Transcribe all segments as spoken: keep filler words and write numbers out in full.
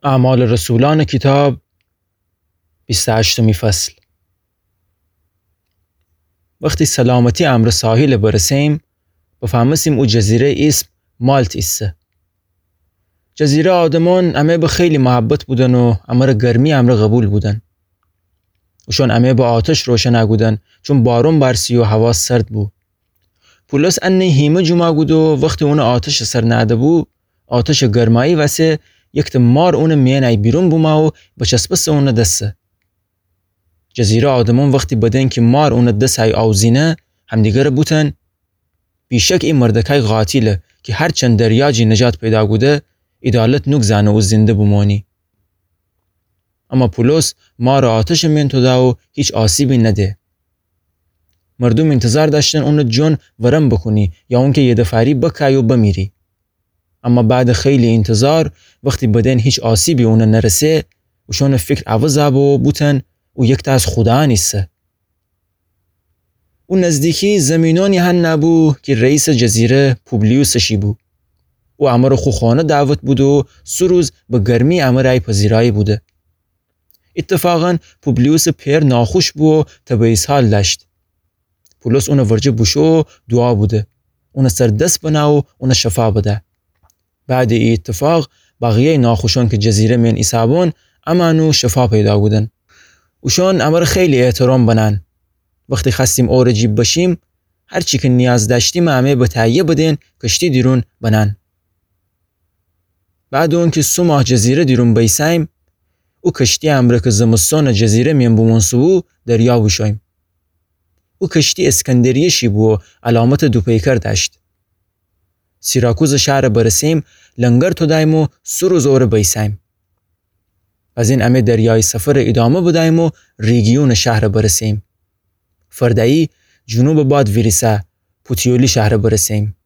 اعمال رسولأنٚ کیتاب، بیست و هشتمی فصل. وختی سلامتی امرأ ساحیل برسه‌ییم، بفهمستیم او جزیره ایسم مالت ایسه. جزیره آدمأن امه به خیلی محبت بودن و امرأ گرمی امرأ قبول بودن. اوشأن امه به آتش روشن کودن، چون بارون بارسی و هوا سرد بو. پولس انه هیمه جوما کود و وختی اونٚ آتشٚ سر نهده‌بو، آتشٚ گرمایی وسه یکته مار اونٚ میأنی بیرون بومو و بچسبسه اونٚ دسه. جزیره آدمأن وختی بدئن کی مار اونٚ دسه‌یی آوزینه، همدیگره بوتن: بیشک ای مردکای قاتیله کی هرچند دریا جی نجات پیدا کوده، عیدالت نوگذأنه او زنده بومأنی. اما پولس مارٚ آتشٚ مین توده و هیچ آسیبی نده. مردوم اینتظار دأشتن اونٚ جون ورم بوکونی یا اونکی یدفاری بکای و بمیری. اما بعدٚ خیلی اینتظار، وختی بدئن هیچ آسیبی اونه نرسه، اوشأنٚ فیکر عوض بو و بوتن او یکته از خودایأن ایسه. او نزدیکی زیمینأنی هنه بو کی رئیسٚ جزیره پوبلیوسٚ شی بو. او امره خو خانه دعوت بوده و سه روز به گرمی امه رأی پذیرایی بوده. ایتفاقاً پوبلیوسٚ پئر ناخوش بو و تب و اسهال دأشت. پولس اونٚ ورجه بوشو و دوعا بوده، اونٚ سر دس بنه و اونه شفا بده. بعدٚ ای ایتفاق، بقیه‌یٚ ناخوشأن کی جزیره مین ایسه‌بون، امأن و شفا پیدا کودن. اوشأن امره خیلی احترام بنأن. وختی خوأستیم اورٚ جی بشیم، هرچی کی نیاز دأشتیم امه به تهیه بدئن کشتی دیرون بنأن. بعدٚ اونکی سه ماه جزیره دیرون بیسه‌ییم، او کشتی امره کی زمستانٚ جزیره مین بومونسه‌بو دریا بوشوییم. او کشتی اسکندریه شی بو و علامتٚ دوپیکر دأشت. سیراکوزٚ شهر برسه‌ییم، لنگر توده‌ییم و سه روز اوره بیسه‌ییم. بزین امه دریایی سفرٚ ایدامه بده‌ییم و ریگیونٚ شهر برسه‌ییم. فرده‌یی جنوبٚ باد ویریسه، پوتیولی شهر برسه‌ییم.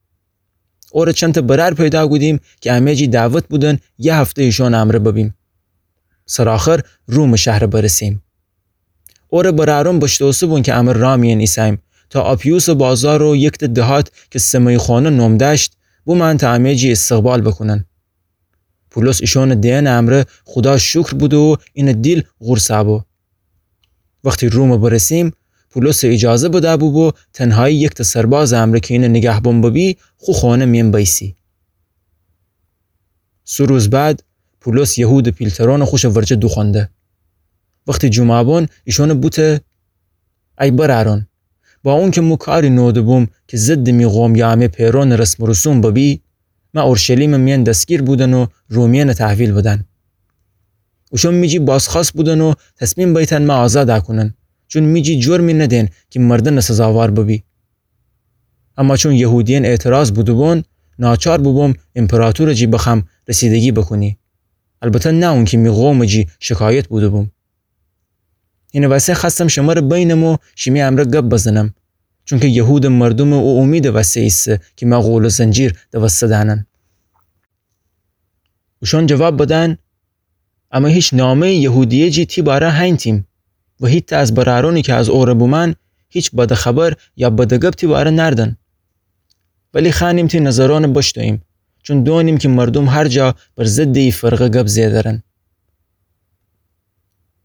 اوره چندتأ برأر پیدا کودیم کی امه جی دعوت بودن یه هفته ایشأنٚ امره ببیم. سرآخر رومٚ شهر برسه‌ییم. اوره برأرون بشتوسه‌بون کی امه رأ میأن ایسه‌ییم تا آپیوسٚ بازار و یکتأ دهات کی سمئیخانه نوم دأشت، بومأن تا امه جی استقبال بوکونن. پولس ایشأنٚ دئنٚ امره خودا شکر بوده و اینٚ دیل قورص بو. وختی روم برسه‌ییم، پولسٚ ایجازه بده‌بو بو تنهایی یکتأ سربازٚ امره کی اینٚ نیگهبان ببی، خو خانه میأن بیسی. سه روز بعد، پولس یهودٚ پیلترأنٚ خوشٚ ورجه دوخوأنده. وختی جومعه بون، ایشأنٚ بوته: ای برأرأن، با اونکی مو کاری نوده‌بوم کی ضدٚ می قوم یا امه پئرأنٚ رسم و رسوم ببی، مه اورشلیمٚ میأن دستگیر بودن و رومیأنٚ تحویل بدن. اوشأن می جی بازخوأست بودن و تصمیم بیتن مه آزاد کونن، چون می جی جرمی ندئن کی مردنٚ سزاوار ببی. اما چون یهودیأن اعتراض بوده‌بون، ناچار بوبوم ایمپراطورٚ جی بخوأم رسیدگی بوکونی. البته نه اونکی می قومٚ جی شکایت بوده‌بوم. اینٚ وسه خوأستم شمره بینم و شیمی امره گب بزنم، چونکی یهودٚ مردومٚ او اومیدٚ وسه ایسه کی مه غول و زنجیر دوسته دأنن. اوشأن جواب بدن: امه هیچ نامه‌یٚ یهودیه جی تی باره هینتیم و هیتأ از برأرأنی کی از اوره بومأن هیچ بدٚ خبر یا بدٚ گب تی باره نأردن. ولی خوأنیم تی نظرأنٚ بشتوییم، چون دونیم کی مردوم هر جا بر ضدٚ ای فرقه گب زئه درن.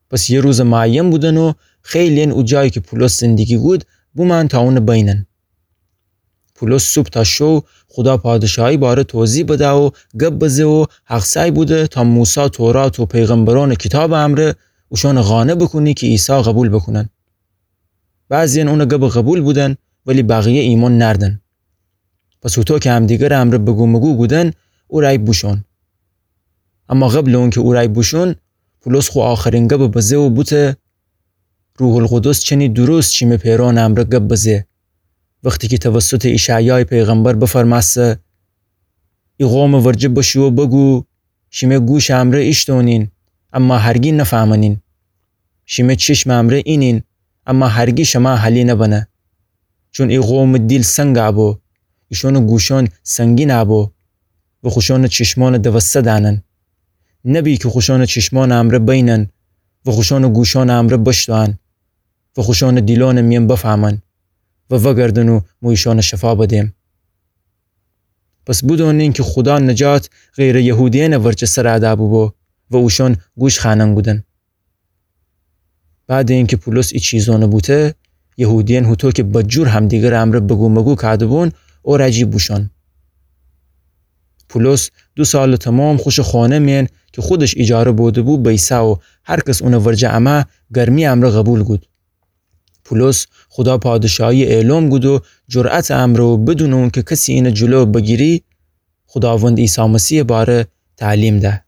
پس یه روزٚ معین بودن و خیلی‌یأن او جایی کی پولس زندگی کود بومأن تا اونٚ بینن. پولس صوب تا شو خودا پادشاهی باره توضیح بده و گب بزه و حق‌سعی بوده تا موسی تورات و پیغمبرأنٚ کیتابٚ امره اوشأنٚ قانع بوکونی کی عیسی قبول بوکونن. بعضی‌یأن اونٚ گبٚ قبول بودن، ولی بقیه ایمأن نأردن. پس هوطو کی همدیگرٚ امره بگومگو کودن، او رأی بوشون. اما قبلٚ اونکی او رأی بوشون، پولس خو آخرین گبٚ بزه و بوته: روح‌القدس چنی درست شیمه پئرأنٚ امره گب بزه، وختی کی توسطٚ اشعیایٚ پیغمبر بفرمأسته: ای قومٚ ورجه بشو و بگو، شیمه گوشٚ امره ایشتونین، اما هرگی نفهمنین. شیمه چشمٚ امره اینین، اما هرگی شمه حالی نبنه. چون ای قومٚ دیل سنگ بو، ایشونٚ گوشون سنگین بو و خوشونٚ چشمون دوسته دأنن. نبی کی خوشونٚ چشمونٚ امره بینن و خوشونٚ گوشونٚ امره بشتوئن و خوشونٚ دیلونٚ میأن بفهمن و وأگردن و مو ایشون شفا بدیم. پس بدونین کی خودا نجات غیرٚ یهودیأنٚ ورجه سر دأ بوبو و اوشأن گوش خوأنن کودن. بعد اینکه پولس ای چیزأنَ بوته، یهودیأن هوطو که بدجور همدیگرٚ امرأ بگو مگو کوده‌بون، او رجی بوشأن. پولس دو سالٚ تومام خوشٚ خانه مئن که خودش ایجاره بوده‌بو بیسه و هر کس اونٚ ورجه امه گرمی امرأ قبول کود. پولس خودا پادشاهی اعلام کود و جرأتٚ امرأ و بدونٚ اونکه کسی اینٚ جلو بگیری، خوداوندٚ عیسی مسیحٚ باره تعلیم ده.